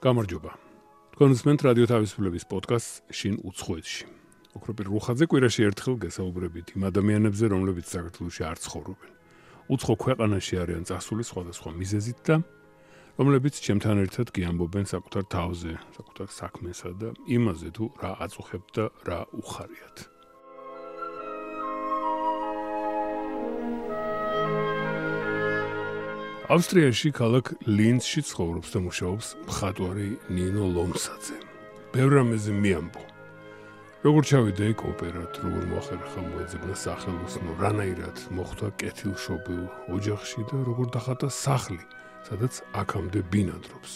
გამარჯობა. თქვენ უსმენთ რადიო თავისუფლების პოდკასტს შინ უცხოეთში. ოქროპირ რუხაძე კვირაში ერთხელ გესაუბრებით იმ ადამიანებზე, რომლებიც საქართველოში არ ცხოვრობენ. უცხო ქვეყანაში არიან წასული სხვადასხვა მიზეზით და რომლებიც ჩემთან ერთად გიამბობენ საკუთარ თავზე, საკუთარ საქმესა და იმაზე თუ რა აწუხებთ და რა უხარიათ. ავსტრიაში ქალაქ ლინცში ცხოვრობს და მუშაობს მხატვარი ნინო ლომსაძე. ბევრ რამეზე მიამბო. როგორ ჩავიდა იქ ოპერად, როგორ მოახერხა მოეძებნა სახელოსნო, რანაირად მოხვდა კეთილშობილ ოჯახში და როგორ დახატა სახლი, სადაც აქამდე ბინადრობს.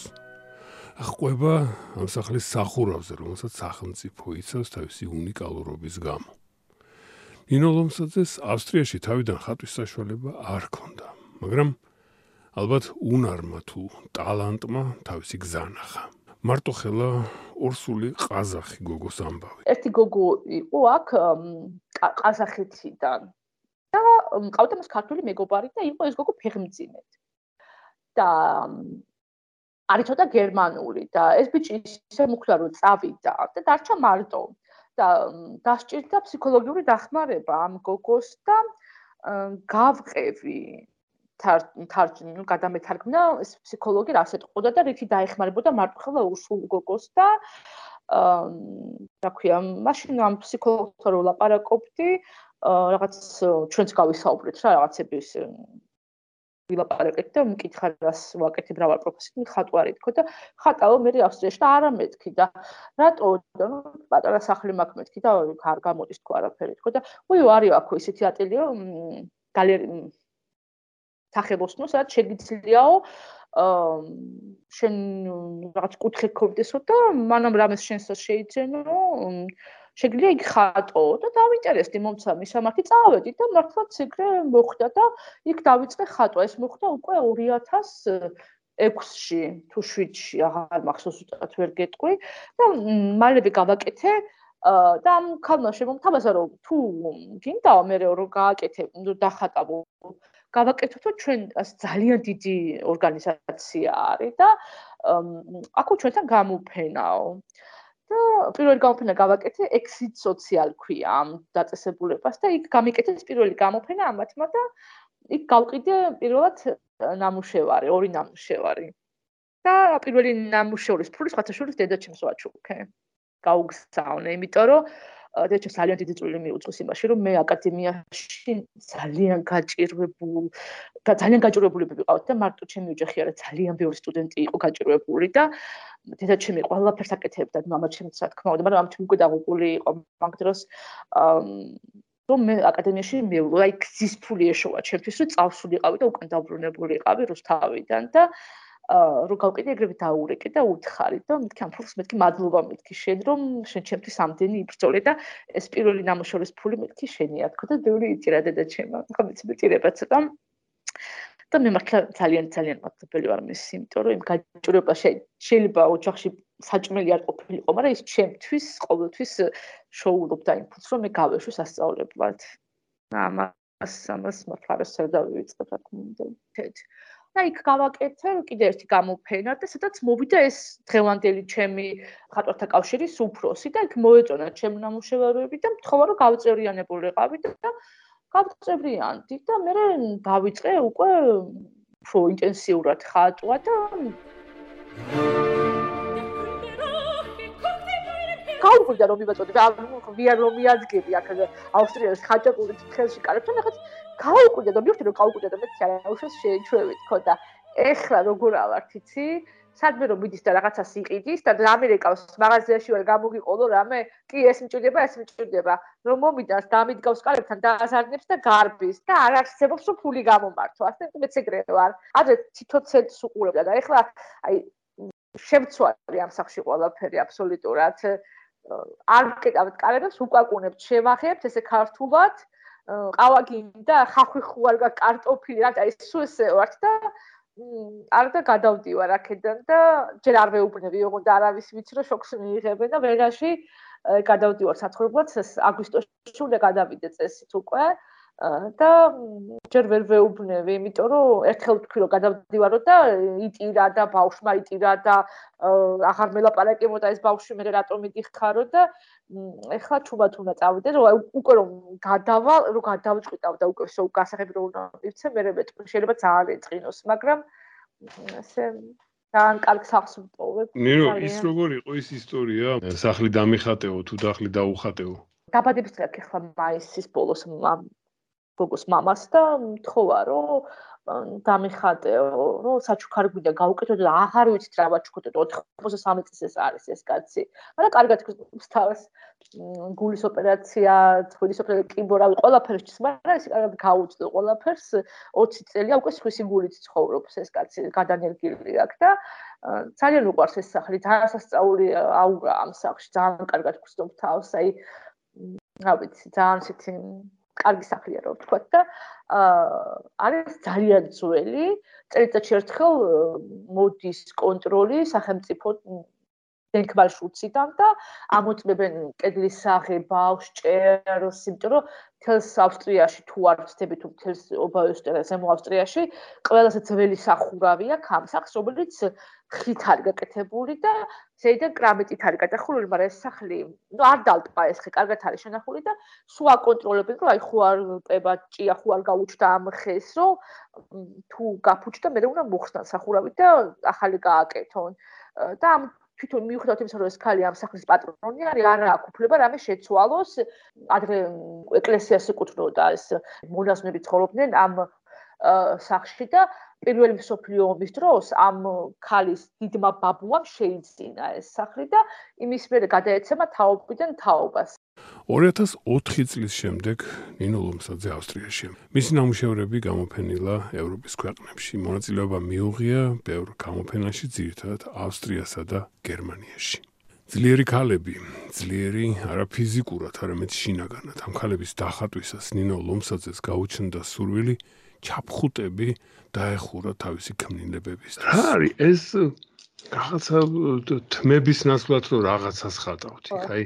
ყვება ამ სახლის სახურავზე, რომელსაც სახელმწიფო იცავს თავისი უნიკალურობის გამო. ნინო ლომსაძეს ავსტრიაში თავიდან ხატვის საშუალება არ ჰქონდა, მაგრამ ალბათ უნარმა თუ ტალანტმა თავისი გზა ნახა. მარტო ხელა ორსული ყაზახი გოგოს ამბავი. ერთი გოგო იყო აქ ყაზახეთიდან და მყავდა მას ქართული მეგობარი და იყო ეს გოგო ფეხმძიმედ. და არ იცოდა გერმანული და ეს ბიჭი ისე მუქლა რომ წავიდა და დარჩა მარტო და დასჭირდა ფსიქოლოგიური დახმარება ამ გოგოს და გავყევი გადამეთარგმნა ეს ფსიქოლოგი რასაც ყოდა და რითი დაეხმარებოდა მარტოხელა ურსულ გოგოს და რა ქვია მაშინ ამ ფსიქოლოგთან ვლაპარაკობდი რაღაც ჩვენც გავისაუბრეთ რა რაღაცების ვილაპარაკეთ და მკითხა რას ვაკეთებ რა ვარ პროფესიით ხატვარი თქო და ხატაო მე ავსტრიაში და არა მეთქი და რატო და პატარა სახლი მაქვს მეთქი და არ გამოდის თქო არაფერი თქო და უი არის აქ ისეთი ატელიე გალერი სახელოსნო, სადაც შეგიძლიაო შენ რაღაც კუთხე გქონდესო და მანამ რამეს შენსაც შეიძენო, შეგიძლია იქ ხატო და დავინტერესდი მომცა მისამართი წავედი და მართლაც ეგრე მოხდა და იქ დავიწყე ხატვა. ეს მოხდა უკვე 2006-ში თუ 7-ში, აღარ მახსოვს უბრალოდ ვერ გეტყვი და მალევე გავაკეთე და ამ ქალმა შემომთავაზა რომ თუ გინდაო მე რომ გააკეთე, დახატავო გავაკეთოთ რომ ჩვენ ძალიან დიდი ორგანიზაცია არის და აქ ჩვენთან გამოფენაო და პირველი გამოფენა გავაკეთე Exit Social ქვია ამ დაწესებულებას და იქ გამიკეთეს პირველი გამოფენა ამათმა და იქ გავყიდე პირველად ნამუშევარი, ორი ნამუშევარი და პირველი ნამუშევრის ფულის ხათაშურის დედაჩემს ვაჩუქე გაუგზავნე იმიტომ რომ დედაჩემს ძალიან დიდი წვლილი მიუძღვის იმაში რომ მე აკადემიაში ძალიან გაჭირვებულები ვიყავთ და მარტო ჩემი ოჯახი არა ძალიან ბევრი სტუდენტი იყო გაჭირვებული და დედაჩემი ყველაფერს აკეთებდა მამაჩემიც რა თქმა უნდა მაგრამ ამჩემ უკვე დაღუპული იყო მაგ დროს რომ მე აკადემიაში მივიდო აი გზის ფული ეშოვა ჩემთვის რომ წავსულიყავი და უკან დაბრუნებული იყავი რუსთავიდან და რო გავყიდე ეგრევე დაურეკე და უთხარი და მეთქი ამ ფულს მეთქი მადლობა მეთქი შენ რომ შენ ჩემთვის ამდენი იბრძოლე და ეს პირველი ნამუშევრის ფული მეთქი შენია თქო და ბევრი იწირა დედაჩემა ხო მეწირება ცოტა და მე მართლა ძალიან მადლობელი ვარ მის იმიტომ რომ იმ გაჭირვება შეიძლება ოჯახში საჭმელი არ ყოფილიყო მაგრამ ის ჩემთვის ყოველთვის შოულობდა იმ ფულს რომ მე გავეშვი სასწავლებლად ამას მართლაც არ დავიწყებ რა თქმა უნდა და იქ გავაკეთე კიდე ერთი გამოფენა და სადაც მოვიდა ეს დღევანდელი ჩემი ხატვათა კავშირის უფროსი და იქ მოეწონა ჩემი ნამუშევარები და მთხოვა რომ გავწევრიანებულიყავი და გავწევრიანდი და მე დავიწყე უკვე უფრო ინტენსიურად ხატვა და გავუკვირდა რომ მივაწოდე ვიარ რომ მიადგები აქ ავსტრიაში ხაჭაპურის ხელში კარებთან ახაც გავუკვირდა და მივხვდი რომ გავუკვირდა და მეც არაუშავს შეიჩვევი თქო და ეხლა როგორ ავართ იცი სადმე რომ მიდის და რაღაცას იყიდის და ამერიკავს მაღაზიაში ვარ გამოგიყოლო რამე კი ეს მჭირდება რომ მომიდას დამიდგავს კარებთან დააზარდებს და გარბის და არ არსებობს რომ ფული გამომართო ასე მეც ეგრე ვარ ადრე თითოцент უყურებდა და ეხლა აი შემცვარი ამ სახში ყველაფერი აბსოლუტურად არ ვკეტავთ კარებს უკაკუნებთ შევახებთ ესე ქართულად ყავა გინდა ხახვი ხუალგა კარტოფილი რა და ეს სულ ესე ვართ და არ და გადავდივარ აქედან და ჯერ არ ვეუბნები ოღონდ არავის ვიცი რომ შოქს მიიღებენ და ვერაში გადავდივარ საცხოვრებლად აგვისტოში უნდა გადავიდე წესით უკვე და ჯერ ვერ ვეუბნები, იმიტომ რომ ერთხელ ვთქვი რომ გადავდივარო და იტირა და ბავშვმა იტირა და აღარ მელაპარაკებოდა ეს ბავშვი მე რატომ მიდიხარო და ეხლა ჩუმად უნდა წავიდე რომ უკვე რომ გადავწყვიტავ და უკვე გასაღები რომ უნდა მივცე მე მეტყვი შეიძლება ძალიან ეწყინოს მაგრამ ასე ძალიან კარგ სახლს ვტოვებ. ნინო ის როგორ იყო ის ისტორია? სახლი დამიხატეო თუ სახლი დაუხატეო? დაბადების დღე ახლა მაისის ბოლოს გოგოს მამას და მთხოვა რომ დამიხატეო რომ საჩუქარი გვინდა გავუკეთო და აღარ ვიცით რა ვაჩუქოთ 83 წლის ეს არის ეს კაცი. მაგრამ კარგად გსთავს გულის ოპერაცია, თბილის ოპერაცია, კიბორავი ყველაფერს ჭის, მაგრამ ეს კარგად გაუწდა ყველაფერს 20 წელია უკვე სხვისი გულით ცხოვრობს ეს კაცი, გადანერგილი აქვს და ძალიან უყვარს ეს სახლი, ძალიან სასწაული აურა ამ სახლში, ძალიან კარგად გსდობ თავს, აი რა ვიცი, ძალიან ისეთი კარგი სახლია რა ვთქვათ და არის ძალიან ძველი, წელიწადში ერთხელ მოდის კონტროლი სახელმწიფო დენქბალშუციდან და ამოწმებენ კედლის აღებას, ჭერს, იმიტომ რომ თელს ავსტრიაში თუ არ ვწდები თუ თელს ობაოსტერა ზემო ავსტრიაში ყველაზე ძველი სახურავია კამსახს, რომელიც ხით არის გაკეთებული და ზედან კრამიტით არის გადახურული, მაგრამ ეს სახლი, ნუ არ დალტყა ეს ხე, კარგად არის შენახული და სულ აკონტროლებენ, რომ აი ხო არ პება ჭია, ხო არ გაუჩნდა ამ ხეს, რომ თუ გაფუჭდა, მე უნდა მოხსნან სახურავი და ახალი გააკეთონ. და ამ თვითონ მიუხედავად იმისა, რომ ეს ქალი ამ სახლის პატრონი არის, არ აქვს უფლება რამე შეცვალოს. ადრე ეკლესიას ეკუთვნოდა ეს მონაზვნები ცხოვრობდნენ ამ სახლში და პირველი მსოფლიო ომის დროს ამ ქალის დიდმა ბაბუამ შეიძინა ეს სახლი და იმის მერე გადაეცემა თაობიდან თაობას. 2004 წლის შემდეგ ნინო ლომსაძე ავსტრიაში. მისი ნამუშევრები გამოფენილა ევროპის ქვეყნებში. მონაწილეობა მიუღია ბევრ გამოფენაში, ძირითადად ავსტრიასა და გერმანიაში. ძლიერი ქალები, ძლიერი არა ფიზიკურად, არამედ შინაგანად. ამ ქალების დახატვისას ნინო ლომსაძეს გაუჩნდა სურვილი ჩაფხუტები დაეხურა თავისი ქმნილებებისთვის. რა არის ეს რაღაცა თმების ნაცვლად რომ რაღაცას ხატავთ, აი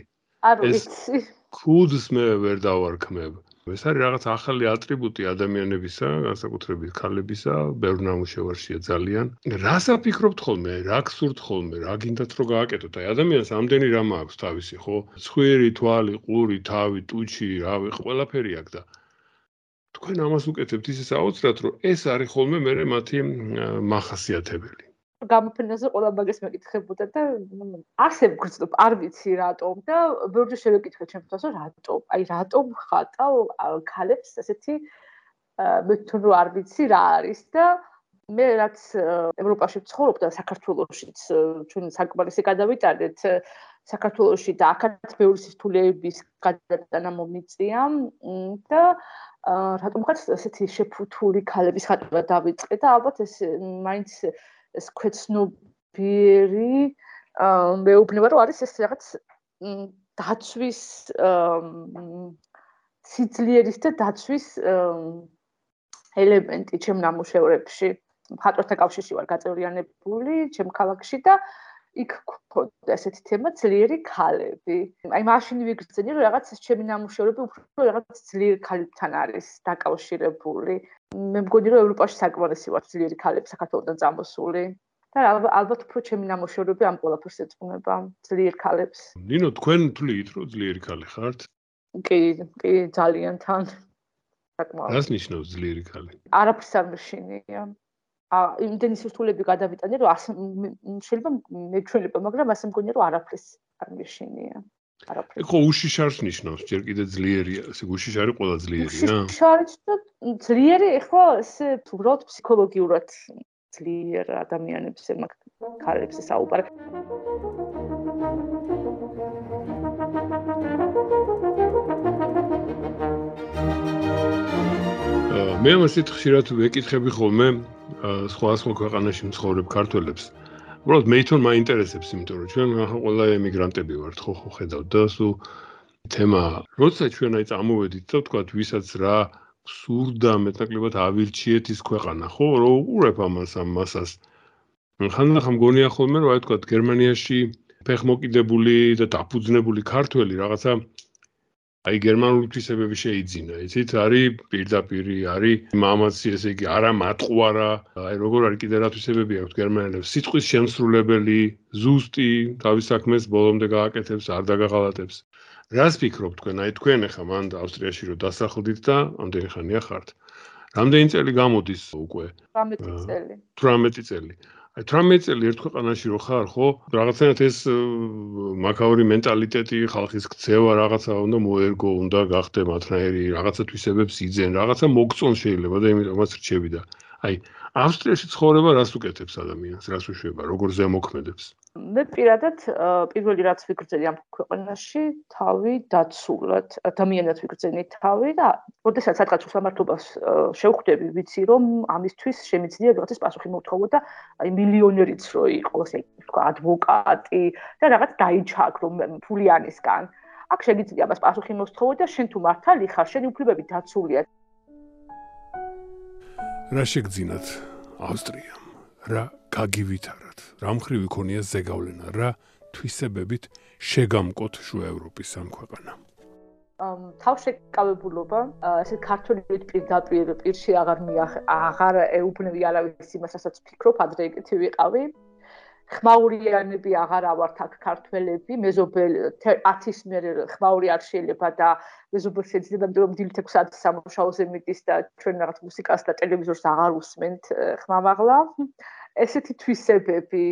არ ვიცი. ქუდს მე ვერ დავარქმევ. ეს არის რაღაც ახალი ატრიბუტი ადამიანებისა, განსაკუთრებით ქალებისა, ბევრ ნამუშევარშია ძალიან. რას აფიქრობთ ხოლმე, რა გსურთ ხოლმე, რა გინდათ რომ გააკეთოთ? აი ადამიანს ამდენი რამ აქვს თავისი, ხო? ცხვირი, თვალი, ყური, თავი, ტუჩი, რავი, ყველაფერი აქვს და თქვენ ამას უკეთებთ ისე საოცრად, რომ ეს არის ხოლმე მე მათი მახასიათებელი. გამოფენაზე ყველა მაგას მეკითხებოდა და ასე ვგრძნობ, არ ვიცი რატომ და ბევრჯერ შევეკითხე ჩემთვას, რომ რატომ? აი რატომ ხატავ ქალებს ასეთი მე თვითონ რომ არ ვიცი რა არის და მე რაც ევროპაში ვცხოვრობ და საქართველოშიც ჩვენ საკმარისი გადავიტანეთ საქართველოში და აქაც ბევრი სისთულეების გადატანა მომიწია და რატომღაც ასეთი შეფუთული ქალების ხატვა დავიწყე და ალბათ ეს მაინც ეს ქვეცნობიერი მეუბნება რომ არის ეს რაღაც დაცვის სიძლიერის და დაცვის ელემენტი ჩემ ნამუშევრებში. მხატვართა კავშირში ვარ გაწევრიანებული ჩემ ქალაქში და იქ გქონდა ესეთი თემა ძლიერი ქალები. აი მაშინ ვიგრძნი რომ რაღაც ჩემი ნამუშევრები უფრო რაღაც ძლიერი ქალებთან არის დაკავშირებული. მე მგონი რომ ევროპაში საკმარისი ვარ ძლიერი ქალები საქართველოსთან წამოსული და ალბათ უფრო ჩემი ნამუშევრები ამ ყველაფერს ეძღვნება ძლიერ ქალებს. ნინო თქვენ თვლით რომ ძლიერი ქალი ხართ? კი, ძალიან თან. საკმაოდ. რას ნიშნავს ძლიერი ქალი? არაფერს არ მეშინია. იმდენი სირთულეები გადავიტანე რომ შეიძლება მეჩვენება, მაგრამ ასე მგონია რომ არაფერს არ მეშინია. არაფერს. ხო უშიშარს ნიშნავს, ჯერ კიდე ძლიერია, ესე უშიშარი ყველა ძლიერია? უშიშარიც და ძლიერი ხო ესე უბრალოდ ფსიქოლოგიურად ძლიერ ადამიანებს მაგ ქალებს საუბარი. მე ამასით ხშირად ვეკითხები ხოლმე სხვა ქვეყანაში მცხოვრებ ქართველებს. უბრალოდ მე თვითონ მაინტერესებს, იმიტომ რომ ჩვენ ყველა ემიგრანტები ვართ, ხო ხედავთ და სულ თემა, როცა ჩვენ აი წამოვედით და ვთქვათ, ვისაც რა სურდა მეტნაკლებად ავირჩიეთ ის ქვეყანა, ხო, რომ უყურებ ამას ამ მასას. ხანდახან მგონია ხოლმე, რომ აი ვთქვათ, გერმანიაში ფეხმოკიდებული და დაფუძნებული ქართველი რაღაცა აი გერმანული თვისებები შეიძინა, იცით, არის პირდაპირი, არის მამაცი, ესე იგი, არა მატყუარა, აი როგორ არის კიდე რა თვისებები აქვს გერმანელებს, სიტყვის შემსრულებელი, ზუსტი, თავის საქმეს ბოლომდე გააკეთებს, არ დაგაღალატებს. რას ფიქრობთ თქვენ? აი თქვენ ახლა მანდ ავსტრიაში რო დასახლდით და ამდენი ხანია ხართ. რამდენი წელი გამოდის უკვე? 18 წელი. 18 წელი. აი 18 წელი ერთ ქვეყანაში რო ხარ, ხო? რაღაცნაირად ეს მაქაური მენტალიტეტი, ხალხის ქცევა რაღაცა უნდა მოერგო, უნდა გახდე მათნაირი, რაღაცა თვისებებს იძენ, რაღაცა მოგწონ შეიძლება და იმიტომაც რჩები და აი ავსტრიაში ცხოვრება რას უკეთებს ადამიანს, რას უშვება, როგორ ზემოქმედებს? მე პირადად პირველი რაც ვიგრძელი ამ ქვეყანაში, თავი დაცულად, ადამიანად ვიგრძენი თავი და როდესაც სადღაც უსამართლობას შევხვდები, ვიცი რომ ამისთვის შემიძლია რაღაცის პასუხი მოვთხოვო და აი მილიონერიც რო იყოს, აი თქვა ადვოკატი და რაღაც დაიჩაგრო ფულიანისგან. აქ შეგიძლია ამას პასუხი მოსთხოვო და შენ თუ მართალი ხარ, შენი უფლებები დაცულია. რა შეგძინათ ავსტრიამ? რა გაგივითარათ? რა მხრივ იქონია ზეგავლენა? რა თვისებებით შეგამკოთ შუა ევროპის ამ ქვეყანამ? თავშეკავებულობა, ესე ქართულით პირდაპირ პირში აღარ ეუბნები არავის იმას, რასაც ვფიქრობ, ადრე ეკეთი ვიყავი. ხმაურიანები აღარ ავართ აქ ქართველები, მეზობელი 10-ის მერე ხმაური არ შეიძლება და მეზობელს შეიძლება რომ დილით 6 საათის სამუშაოზე მიდის და ჩვენ რაღაც მუსიკას და ტელევიზორს აღარ უსმენთ ხმამაღლა. ესეთი თვისებები,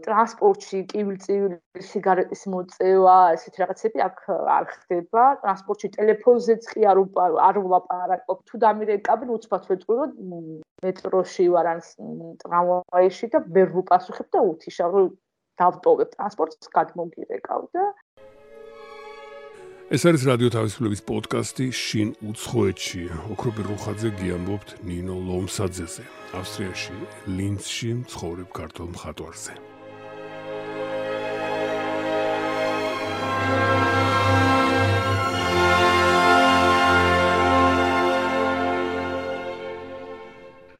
ტრანსპორტში კივილ-წივილი სიგარეტის მოწევა, ესეთი რაღაცები აქ არ ხდება. ტრანსპორტში ტელეფონზეც კი არ ვლაპარაკობ. თუ დამირეკავენ უცბად ვეტყვი, მეტროში ვარ ან ტრამვაიში და ვერ ვუპასუხებ და უთიშავ, რომ დავტოვებ ტრანსპორტს, გადმოგირეკავ და ეს არის რადიო თავისუფლების პოდკასტი შინ უცხოეთში. ოქროპირ რუხაძე გიამბობთ ნინო ლომსაძეზე. ავსტრიაში, ლინცში მცხოვრებ ქართულ მხატვარზე.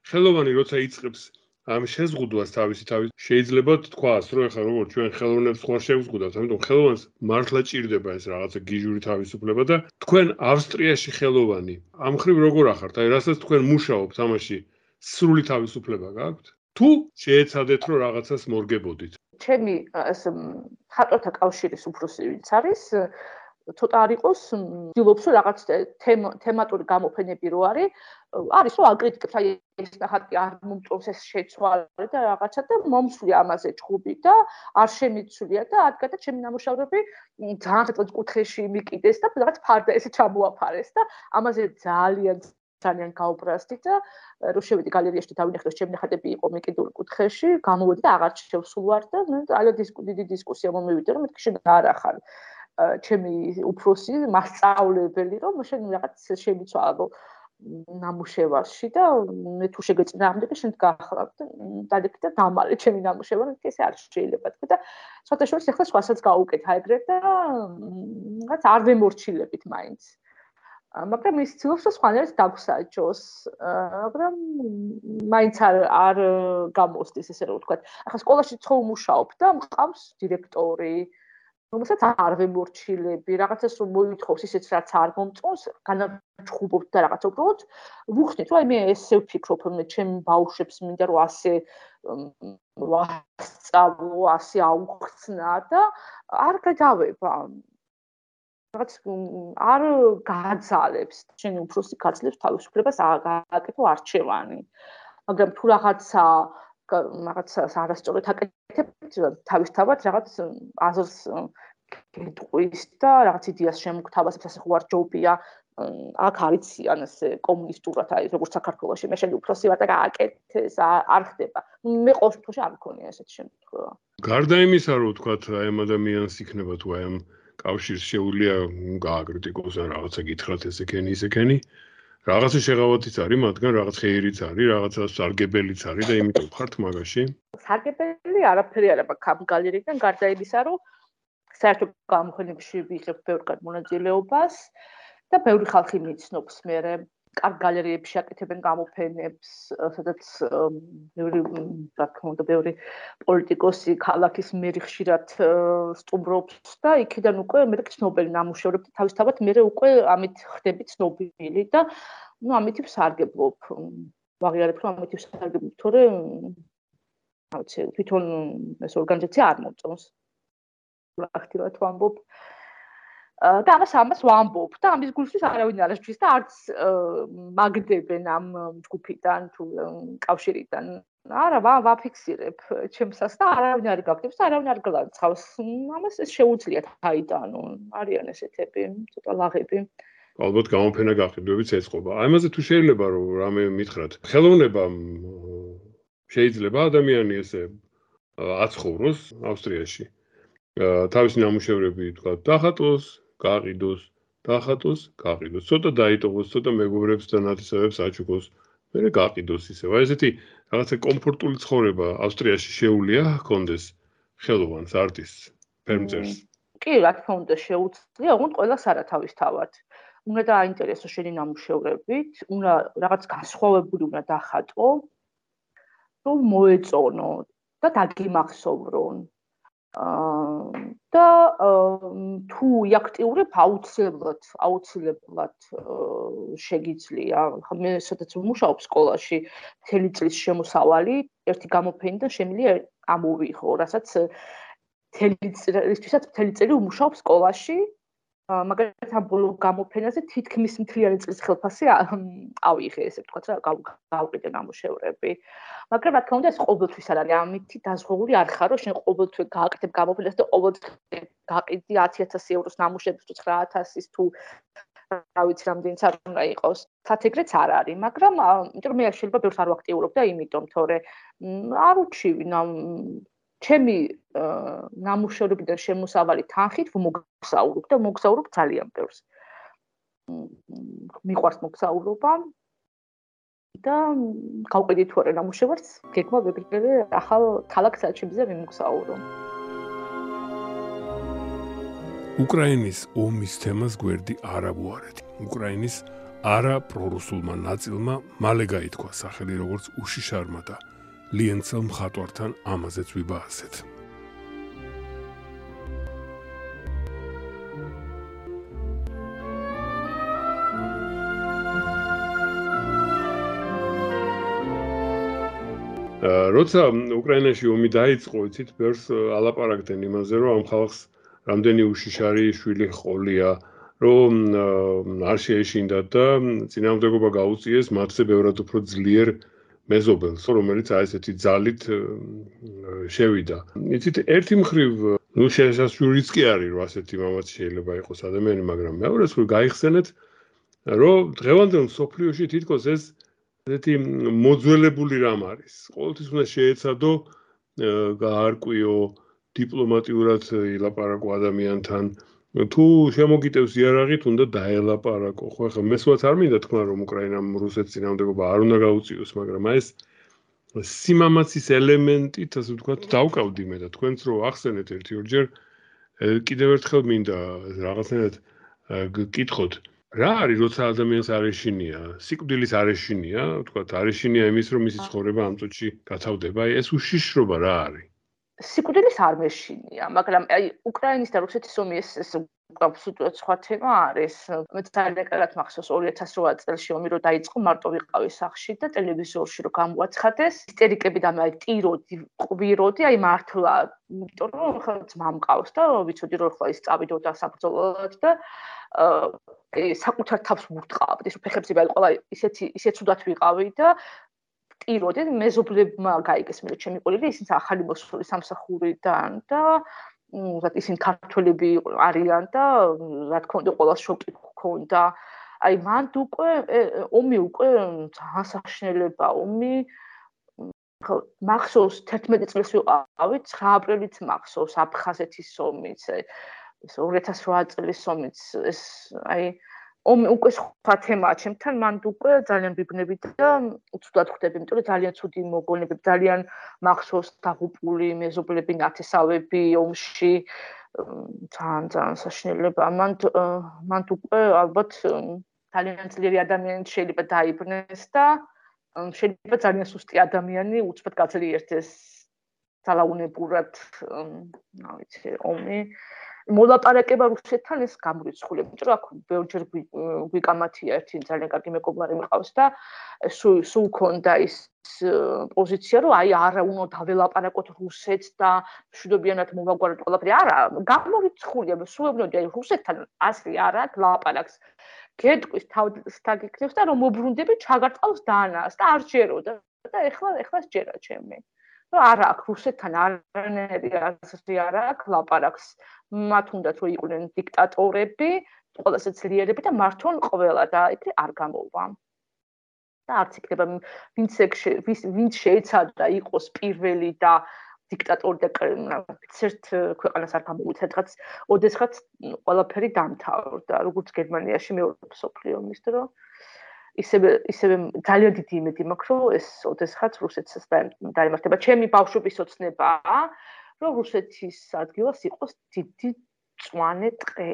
ხელოვანი როცა იწყებს ამ შეზღუდვას თავისი შეიძლება თქვას, რომ ეხლა როგორ ჩვენ ხელოვნებს ხوار შევზღუდავთ, ამიტომ ხელოვანს მართლა ჭირდება ეს რაღაცა გიჟური თავისუფლება და თქვენ ავსტრიაში ხელოვანი ამ ხრივ როგორ ახართ? აი რასაც თქვენ მუშაობთ ამაში სრული თავისუფლება გაქვთ? თუ შეეცადეთ რომ რაღაცას მორგებოდით? ჩემი ეს მხატვართა კავშირის უფროსი ვინც არის, ცოტა არ იყოს, ვცდილობს რომ რაღაც თემატური გამოფენები რო არის რომ აკრიტიკებს აი ეს ნახატი არ მომწონს ეს შეცვალე და რაღაცა და მომსვლია ამაზე ჭუბი და არ შემიცვლია და ადგადა ჩემი ნამუშევრები ძალიან ხეთქოს კუთხეში მიკიდეს და რაღაც ფარდა ესე ჩამოაფარეს და ამაზე ძალიან გაუბრაზდი და რო შევედი გალერეაში და დავინახე რომ ჩემი ნახატები იყო მიკიდული კუთხეში, გამოვედი და აღარ შევსულვარ და ძალიან დიდი დისკუსია მომივიდა რომ მეთქი შენ არა ხარ ჩემი უფროსი მასწავლებელი რომ შენ რაღაც შემიცვალო ნამუშევარში და მე თუ შეგეწინააღმდეგე შენ გახლავ და დადექი და დამალე ჩემი ნამუშევარი ესე არ შეიძლება თქვა და სხვათა შორის ახლა სხვასაც გაუკეთა ეგრე და რაღაც არ ვემორჩილებით მაინც მაგრამ ის ცდილობს რომ სხვანაირად დაგვსაჯოს მაგრამ მაინც არ გამოსდის ესე რომ ვთქვა ახლა სკოლაში ხო ვმუშაობ და მყავს დირექტორი რომელსაც არ ვემორჩილები, რაღაცას რომ მოითხოვს ისეც რაც არ მომწონს, განაჩხუბობთ და რაღაცა უბრალოდ ვუხსნით, რომ აი მე ესე ვფიქრობ, მე ჩემ ბავშვებს მინდა რომ ასე ვასწავლო, ასე აუხსნა და არ გადავება. რაღაც არ გაძალებს, შენი უფროსი გაძლევს თავისუფლებას გააკეთო არჩევანი. მაგრამ თუ რაღაცას არასწორად აკეთებთ, თავისთავად რაღაც აზრს გეტყვის და რაღაც იდეას შემოგთავაზებს, ასე ხო არ ჯობია. აქ არიციან ესე კომუნისტურად, აი როგორც საქართველოში, მე შენ უფროსი ვარ და გააკეთე, ეს არ ხდება. მე ყოველ შემთხვევაში არ მქონია ესეთი შემთხვევა. გარდა იმისა, რომ ვთქვათ, აი ამ ადამიანს იქნება თუ აი ამ კავშირს შეუძლია გააკრიტიკოს ან რაღაცა გითხრათ ესექენი რაღაცა შეღავათიც არის, მათგან რაღაც ხეირიც არის, რაღაცა სარგებელიც არის და იმიტომ ხართ მაგაში. სარგებელი არაფერი არ აქვს ამ გალერეიდან, გარდა იმისა, რომ საერთო გამოფენებში ვიღებ ბევრ მონაწილეობას და ბევრი ხალხი მიცნობს მერე. კარგ გალერეებში აკეთებენ გამოფენებს, სადაც რა თქმა უნდა, ბევრი პოლიტიკოსი, ქალაქის მერი ხშირად სტუმრობს და იქიდან უკვე მე ცნობილი ნამუშევრები თავისთავად მე უკვე ამით ხდები ცნობილი და ამით ვსარგებლობ. ვაღიარებ, რომ ამით ვსარგებლობ, თორემ რა ვიცი, თვითონ ეს ორგანიზაცია არ მოწონს. აქტიურად ვამბობ. და ამას ვამბობ და ამის გულშვის არავინ არ აღჭვის და არც მაგდებენ ამ ჯგუფიდან თუ კავშირიდან. არა, ვაფიქსირებ ჩემსას და არავინ არ გაგდებს და არავინ არ გლანცავს. ამას ეს შეუძლიათ აიტანონ. არიან ესეთები, ცოტა ლაღები. ალბათ გამოფენა გაყიდვებიც ეწყობა. აი ამაზე თუ შეიძლება რომ რამე მითხრათ. ხელოვნება შეიძლება ადამიანი ესე აცხოვროს ავსტრიაში. თავისი ნამუშევრები თქვა დახატოს, გაყიდოს, დახატოს, გაყიდოს. ცოტა დაიტოვოს, ცოტა მეგობრებს და ნათესავებს აჩუქოს, მერე გაყიდოს ისევ. აი ესეთი რაღაცა კომფორტული ცხოვრება ავსტრიაში შეუძლია ჰქონდეს ხელოვანს, არტისტს, ფერმწერს. კი, რა თქმა უნდა, შეუძლია, ოღონდ ყველას არა თავისთავად. უნდა დააინტერესო შენი ნამუშევრებით, უნდა რაღაც განსხვავებული უნდა დახატო, რომ მოეწონო და დაგიმახსოვრონ. და თუ იაქტიურებ აუცილებლად შეგიძლია. მე სადაც ვმუშაობ სკოლაში, მთელი წლის შემოსავალი ერთი გამოფენიდან შემიძლია ამოვიღო, რასაც მთელი წელი ვმუშაობ სკოლაში. მაგალითად ამ ბოლო გამოფენაზე თითქმის მთლიანი წლის ხელფასი ავიღე, ესე ვთქვათ რა, გავყიდე ნამუშევრები. მაგრამ რა თქმა უნდა ეს ყოველთვის არ არის, ამით დაზღვეული არ ხარ, რომ შენ ყოველთვის გააკეთებ გამოფენას და ყოველთვის გაყიდი 10000 ევროს ნამუშევრებს თუ 9000-ის თუ რა ვიცი რამდენიც არ უნდა იყოს. თათეგრეც არ არის, მაგრამ იმიტომ რომ მე შეიძლება ბევრს არ ვაქტიურობ და იმიტომ, თორე არ უჩივი ჩემი ნამუშევრებიდან შემოსავალი თანხით მოგზაურობ და მოგზაურობ ძალიან ბევრს. მიყვარს მოგზაურობა და გავყიდი თუ არა ნამუშევარს, გეგმა ვეგრძელე ახალ ქალაქ საჩიმზე ვიმოგზაურო. უკრაინის ომის თემას გვერდი არ აგვარეთ. უკრაინის არა პრორუსულმა ნაწილმა მალე გაითქვა სახელი როგორც უშიშარმა და ლიენცელ მხატვართან ამაზეც ვიბაასეთ. როცა უკრაინაში ომი დაიწყო, იცით, ბევრს ალაპარაკდნენ იმაზე, რომ ამ ხალხს რამდენი უშიშარი შვილი ჰყოლია, რომ არ შეეშინდათ და წინააღმდეგობა გაუწიეს მათზე ბევრად უფრო ძლიერ მეზობელს, რომელიც აი ესეთი ძალით შევიდა. იცით, ერთი მხრივ, შესაძლოა კი არის, რომ ასეთი მამაც შეიძლება იყოს ადამიანი, მაგრამ მეორე მხრივ გაიხსენეთ, რომ დღევანდელ მსოფლიოში თითქოს ეს ესეთი მოძველებული რამ არის. ყოველთვის უნდა შეეცადო გაარკვიო დიპლომატიურად ილაპარაკო ადამიანთან. თუ შემოგიტევს იარაღით, უნდა დაელაპარაკო. ხო, ახლა მესვაც არ მინდა თქვა, რომ უკრაინამ რუსეთს წინააღმდეგობა არ უნდა გაუწიოს, მაგრამ ეს სიმამაცის ელემენტით, ასე ვთქვათ, დავკავდი მე და თქვენც რო ახსენეთ ერთი-ორჯერ, კიდევ ერთხელ მინდა რაღაცნაირად გკითხოთ. რა არის, როცა ადამიანს არ ეშინია, სიკვდილის არ ეშინია, ვთქვათ, არ ეშინია იმის, რომ მისი ცხოვრება ამ წუთში გათავდება, აი ეს უშიშრობა რა არის? სიკვდილის არ მეშინია, მაგრამ აი უკრაინის და რუსეთის ომი ეს აბსოლუტურად სხვა თემა არის. მე ძალიან კარგად მახსოვს 2008 წელს ომი რო დაიწყო, მარტო ვიყავი სახლში და ტელევიზორში რო გამოაცხადეს, ისტერიკები და მე ტიროდი, ყვიროდი, აი მართლა, იმიტომ რომ ხა ძმა მყავს და ვიცოდი რომ ხლა ის წავიდოდა საბრძოლოდ და საკუთარ თავს ვურტყავდი, ის ფეხებზე მე ყველა ისეთ ცუდად ვიყავი და ტიროდი, მეზობლებმა გაიგეს მე ჩემი ყოლილი, ისინი ახალი მოსული სამსახურიდან და ისინი ქართველები არიან და რა თქმა უნდა ყველა შოკი ჰქონდა. აი მანდ უკვე ომი უკვე ძალიან საშინელება, ომი მახსოვს 11 წელს ვიყავი, 9 აპრილით მახსოვს აფხაზეთის ომიც, ეს 2008 წლის ომიც, ეს აი ომი უკვე სხვა თემაა ჩემთან, მანდ უკვე ძალიან ვიბნები და უცუდად ხვდები, იმიტომ რომ ძალიან ცუდი მოგონებები, ძალიან მახსოვს დაღუპული მეზობლები, ნათესავები ომში, ძალიან საშინელება. მანდ უკვე ალბათ ძალიან ძლიერი ადამიანი შეიძლება დაიბრუნდეს და შეიძლება ძალიან სუსტი ადამიანი უცბად გაძლიერდეს ძალაუნებურად, რა ვიცი, ომი. მოლაპარაკება რუსეთთან ეს გამორიცხულია, იმიტომ რომ აქ ბევრჯერ გვიკამათია ერთი ძალიან კარგი მეგობარი მიყავს და სულ ქონდა ის პოზიცია, რომ აი არა უნდა დაველაპარაკოთ რუსეთს და მშვიდობიანად მოვაგვაროთ ყველაფერი. არა, გამორიცხულია, სულობნოდი აი რუსეთთან ასლი არ აქვს ლაპარაკს. გეტყვის თავს დაგიქნევს და რომ მობრუნდები ჩაგარტყავს დანას და არ ჯეროდა და ეხლა სჯერა ჩემი. არა აქვს რუსეთთან არანაირი აზრი არ აქვს ლაპარაკს. მათ უნდათ რომ იყვნენ დიქტატორები, ყველაზე ძლიერები და მართონ ყველა და იქ არ გამოვა. და არც იქნება ვინც შეეცადა იყოს პირველი და დიქტატორი და ერთ ქვეყანას არ გამოვიდა, ოდესღაც ყველაფერი დამთავრდა, როგორც გერმანიაში მეორე მსოფლიო ომის დროს. ისევე ძალიან დიდი იმედი მაქვს, რომ ეს ოდესღაც რუსეთსაც დაემართება. ჩემი ბავშვობის ოცნებაა, რომ რუსეთის ადგილას იყოს დიდი მწვანე ტყე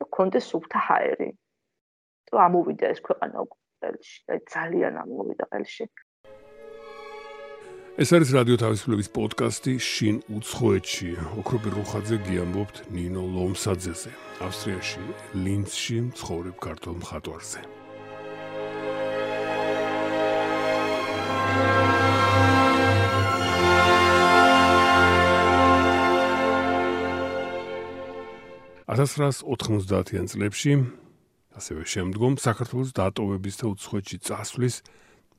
და კონდეს სუფთა ჰაერი. რომ ამოვიდა ეს ქვეყანა ყელში, ძალიან ამოვიდა ყელში. ეს არის რადიო თავისუფლების პოდკასტი შინ უცხოეთში. ოქროპირ რუხაძე გიამბობთ ნინო ლომსაძეზე. ავსტრიაში, ლინცში ცხოვრებ ქართულ მხატვარზე. $1990-იან წლებში, ასევე შემდგომ, საქართველოს დატოვების და უცხოეთში წასვლის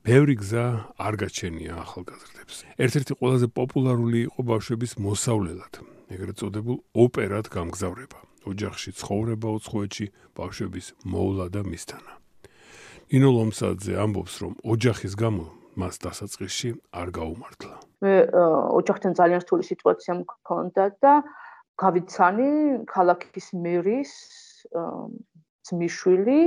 ბევრი გზა არ გაჩენია ახალგაზრდებს. ერთ-ერთი ყველაზე პოპულარული იყო ბავშვების მოსავლელად, ეგრეთ წოდებულ ოპერად გამგზავრება. ოჯახში ცხოვრება უცხოეთში ბავშვების მოვლა და მისთანა. ნინო ლომსაძე ამბობს, რომ ოჯახის გამო მას დასაწყისში არ გაუმართლა. მე ოჯახთან ძალიან რთული სიტუაცია მქონდა და გავიცანი ქალაქის მერის ძმისშვილი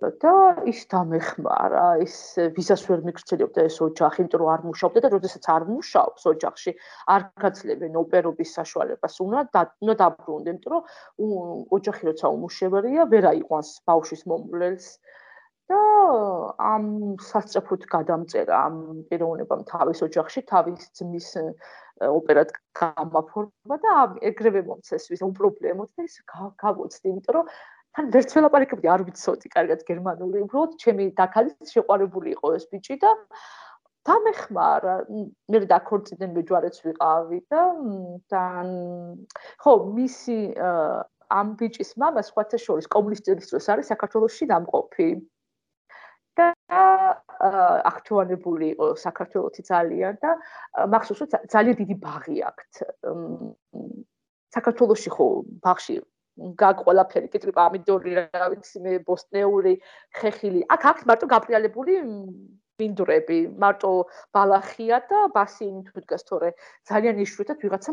და ის დამეხმარა, ის ვიზას ვერ მიგრძელებდა ეს ოჯახი, იმიტომ რომ არ მუშაობდა და როდესაც არ მუშაობს ოჯახში, არ გაძლევენ ოპერობის საშუალებას, უნდა დაბრუნდნენ, იმიტომ რომ ოჯახი როცა უმუშევრია, ვერ აიყვანს ბავშვის მომვლელს და ამ სასწრაფოდ გადამწერა ამ პიროვნებამ თავის ოჯახში, თავის ძმის ოპერად გამაფორმა და ეგრევე მომცეს ვის უპრობლემოდ და ის გავოცდი, იმიტომ რომ თან ვერც ველაპარაკებდი, არ ვიცოდი კარგად გერმანული, უბრალოდ ჩემი დაქალით შეყვარებული იყო ეს ბიჭი და დამეხმარა. მე დაქორწინდნენ, მეჯვარეც ვიყავი და ხო, მისი ამ ბიჭის მამა სხვათა შორის კომუნისტების დროს არის საქართველოში დამყოფი. და აქტუალებული იყო საქართველოში ძალიან და მახსოვს რომ ძალიან დიდი ბაღი აქვთ. საქართველოში ხო ბაღში გაქვს ყველაფერი, კიტრი, პამიდორი, რა ვიცი მე, ბოსტნეული, ხეხილი. აქ აქვს მარტო გაფრიალებული მინდვრები, მარტო ბალახია და ბასინი თუ დგას, თორე ძალიან იშვიათად ვიღაცა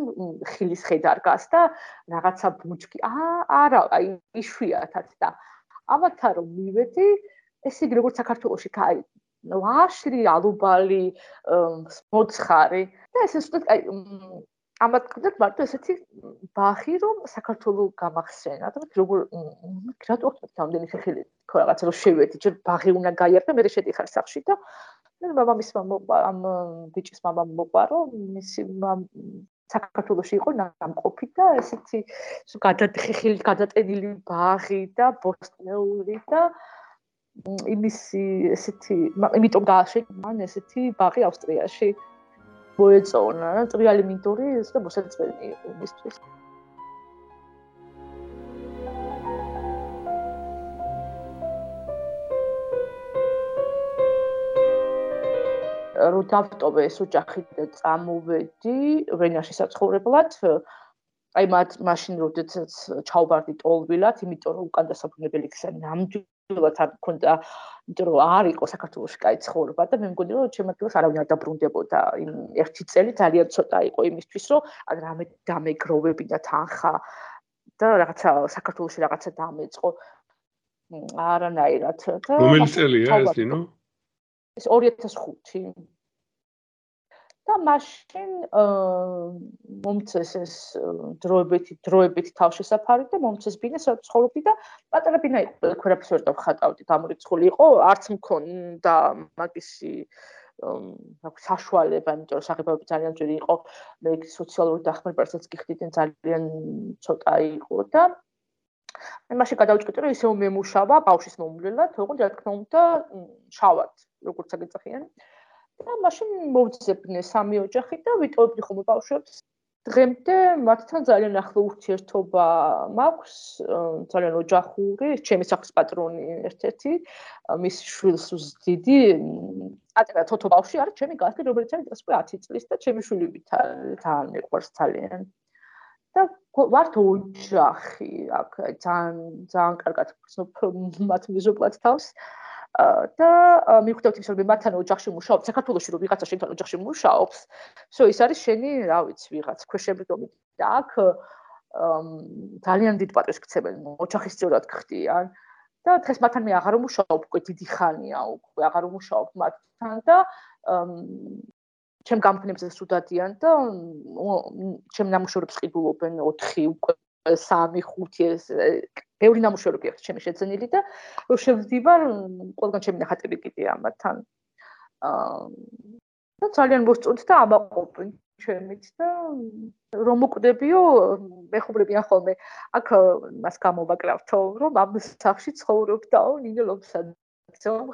ხილის ხე დარგას და რაღაცა ბუჩქი. არა, აი იშვიათად და ამათთან რომ მივედი ეს იგი როგორც საქართველოში კაი ვაშლი ალუბალი მოცხარი და ეს უბრალოდ კაი ამათ კიდევ მარტო ესეთი ბაღი რომ საქართველოს გამახსენა და როგორ რატო ხდება რამდენი ხელი ხო რაღაცა რომ შევედი ჯერ ბაღი უნდა გაიარდე მე შედიხარ სახში და მე მამამისმა ამ ბიჭის მამამ მოყვა რომ მისი საქართველოში იყო ნამყოფი და ესეთი გადადხილი გადატენილი ბაღი და ბოსტნეული და იმისი ესეთი იმიტომ გააშენე მან ესეთი ბაღი ავსტრიაში მოეწონა წვრილი მინდორი ეს და მოსაწვენი იყო მისთვის რო დავტოვე ეს ოჯახი და წამოვედი ვენაში საცხოვრებლად აი მაშინ როდესაც ჩავბარდი ტოლვილად იმიტომ რომ უკან დასაბრუნებელი გზა ნამდვილად არ მქონდა იმიტომ რომ არ იყო საქართველოში კაი ცხოვრება და მე მგონი რომ ჩემ ადგილას არავინ არ დაბრუნდებოდა იმ ერთი წელი ძალიან ცოტა იყო იმისთვის რომ ან რამე დამეგროვებინა თანხა და რაღაცა საქართველოში რაღაცა დამეწყო არანაირად და რომელი წელია ეს ნინო? ეს 2005 და მაშინ მომწეს ეს დროებითი თავშესაფარი და მომწეს ბინა ცხოვრობდი და პატარა ბინა იყო, ყველაფერს ვერ დავხატავდი, გამორიცხული იყო, არც მქონდა მაგისი საშუალება, იმიტომ რომ საღებავები ძალიან ძვირი იყო, მე სოციალური დახმარებასაც გიხდიდნენ ძალიან ცოტა იყო და მე მაშინ გადავჭკეტე რომ ისევ მემუშავა ბავშვის მომვლელად, თქო რა თქმა უნდა, შავად, როგორც აგეწახიან. და მაშინ მოვძებნე სამი ოჯახი და ვიტოვებდი ხოლმე ბავშვებს. დღემდე მათთან ძალიან ახლო ურთიერთობა მაქვს, ძალიან ოჯახური, ჩემი სახლის პატრონი ერთ-ერთი, მის შვილს ვზდიდი, ატარა თოთო ბავშვი არის ჩემი გასწრე, რომელიც არის 10 წლის და ჩემი შვილი თან მიყვარს ძალიან. და ვართ ოჯახი, აქ ძალიან კარგად ვცნობ მათ მიზობლად თავს. და მივხვდეთ ის რომ მათთან ოჯახში მუშაობ, საქართველოში რომ ვიღაცა შენთან ოჯახში მუშაობს, ის არის შენი, რა ვიცი, ვიღაც ქვეშევრდომი და აქ ძალიან დიდ პატრონს ქცევენ, ოჯახისწორად ხდიან და დღეს მათთან მე აღარ ვმუშაობ, უკვე დიდი ხანია, უკვე აღარ ვმუშაობ მათთან და ჩემ გამგნებზე სუდადიან და ჩემ ნამუშევრებს ყიდულობენ 4 უკვე 3-5 ბევრი ნამუშევრები აქვს ჩემი შეძენილი და შევდივარ ყველგან ჩემი ნახატები კიდეა მათთან. და ძალიან მოსწონთ და ამაყობენ ჩემით და რომ მოკვდებიო, მეხუბრებიან ხოლმე. აქ მას გამოვაკრავთო, რომ ამ სახში ცხოვრობდაო ნინო ლომსაძე,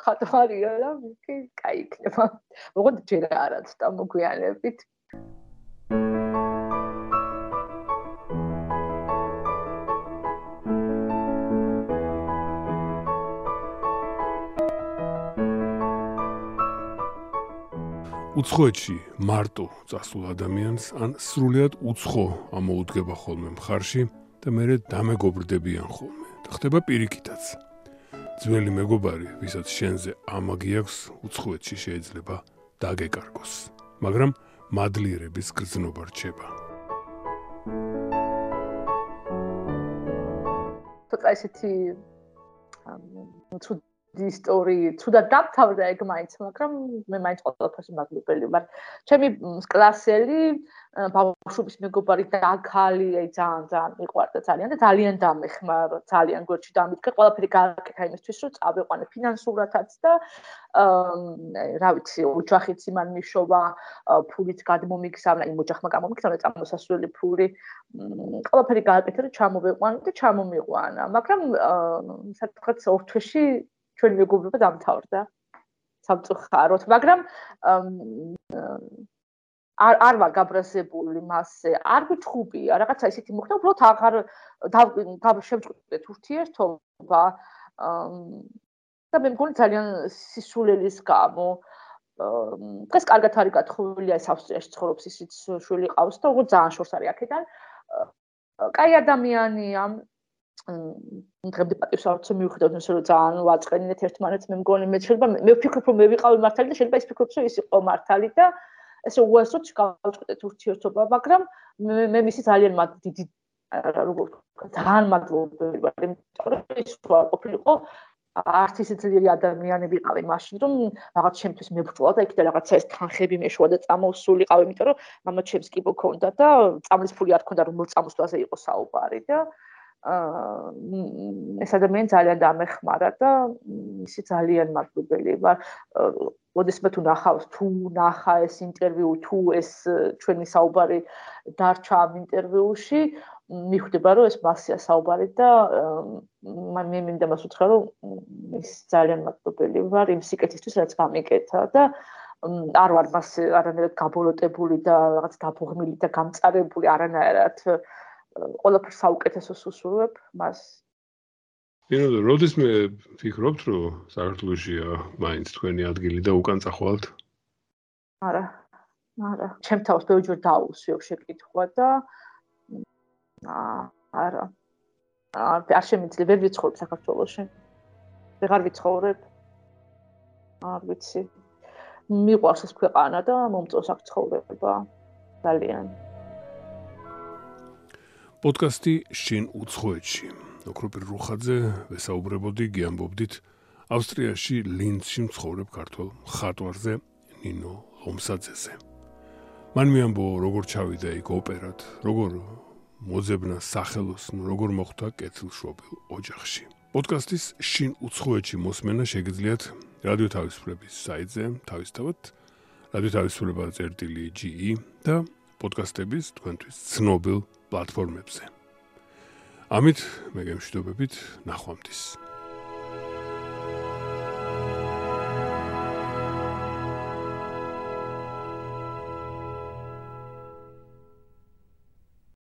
ხატვარია და კი კაი იქნება. ოღონდ ჯერ არა ცოტა მოგვიანებით. უცხოეთში მარტო წასულ ადამიანს ან სრულიად უცხო ამოუდგება ხოლმე მხარში და მერე დამეგობრდებიან ხოლმე და ხდება პირიქითაც. ძველი მეგობარი, ვისაც შენზე ამაგი აქვს, უცხოეთში შეიძლება დაგეკარგოს, მაგრამ მადლიერების გრძნობა რჩება. ცოტა ისეთი ისტორია თუდად დამთავრდა ეგ მაინც, მაგრამ მე მაინც ყველაფერში მადლობელი ვარ. ჩემი კლასელი ბავშვობის მეგობარი დაქალი, ძალიან მიყვარდა ძალიან და ძალიან დამეხმარა, ძალიან გვერდში დამიდგა, ყველაფერი გააკეთა იმისთვის, რომ წავიყვანე ფინანსურათაც და რა ვიცი, ოჯახიც იმან მიშოვა, ფულით გადმომიგზავნა, იმ ოჯახმა გამომიგზავნა წამოსასვლელი ფული. ყველაფერი გააკეთა, რომ ჩამოვიყვანე და ჩამომიყვანა, მაგრამ სადღაც 2 თვეში ჩვენი მეგობრობა დამთავრდა სამწუხაროდ, მაგრამ არ ვარ გაბრაზებული მასზე, არ ვიჩხუბია, რაღაცა ისეთი მოხდა, უბრალოდ აღარ შევჭყვეტეთ ურთიერთობა და მე მგონი ძალიან სისულელის გამო. დღეს კარგად არის გათხოვილი, ეს ავსტრიაში ცხოვრობს, ისიც შვილი ყავს და უბრალოდ ძალიან შორს არის აქედან. კაი ადამიანია. დღემდე პატივს არ ვცემ მივხვდეთ რომ ძალიან ვაწყენინეთ ერთმანეთს მე მგონი მე შეიძლება მე ვფიქრობ რომ მე ვიყავი მართალი და შეიძლება ის ფიქრობს რომ ის იყო მართალი და ესე უასოდ გავწყვეტეთ ურთიერთობა, მაგრამ მე მისი ძალიან დიდი ძალიან მადლობელი ვარ, იმიტომ რომ ის არ ყოფილიყო არც ისე ძლიერი ადამიანი ვიყავი მაშინ, რომ რაღაც ჩემთვის მებრძოლა და იქიდან რაღაცა ეს თანხები მეშვა და წამოსულიყავი, იმიტომ რომ მამა ჩემს კი მქონდა და წამლის ფული არ ქონდა რომ მოსწამოსვლაზე იყო საუბარი და ეს ადამიანი ძალიან დამეხმარა და ისი ძალიან მადლობელი ვარ. ოდესმე თუ ნახა ეს ინტერვიუ, თუ ეს ჩვენი საუბარი დარჩა ამ ინტერვიუში, მიხვდება რომ ეს მასია საუბარი და მე მინდა მას უთხრა რომ ის ძალიან მადლობელი ვარ იმ სიკეთისთვის რაც გამიკეთა და არ ვარ მას არანაირად გაბოლოტებული და რაღაც დაბუღმილი და გამწარებული არანაირად ყველაფერს საუკეთესოს უსურვებ მას. ნინო, როდის მე ფიქრობთ, რომ საქართველოშია მაინც თქვენი ადგილი და უკან წახვალთ? არა. ჩემ თავს ბევრჯერ დაუსვიო შეკითხვა და არა. არ შემიძლია ვერ ვიცხოვრებ საქართველოში. ვეღარ ვიცხოვრებ. არ ვიცი. მიყვარს ეს ქვეყანა და მომწონს აქ ცხოვრება. ძალიან. პოდკასტი შინ უცხოეთში. ოქროპირ რუხაძე ვესაუბრებოდი, გიამბობდით ავსტრიაში ლინცში მცხოვრებ ქართველ მხატვარზე ნინო ლომსაძეზე. მან მიამბო, როგორ ჩავიდა იქ ოპერად, როგორ მოძებნა სახელოსნო, როგორ მოხვდა კეთილშობილ ოჯახში. პოდკასტის შინ უცხოეთში მოსმენა შეგიძლიათ რადიო თავისუფლების საიტზე, თავისთავად რადიო თავისუფლება.ge და პოდკასტების თქვენთვის ცნობილ პლატფორმებზე. ამით მე გემშვიდობებით, ნახვამდის.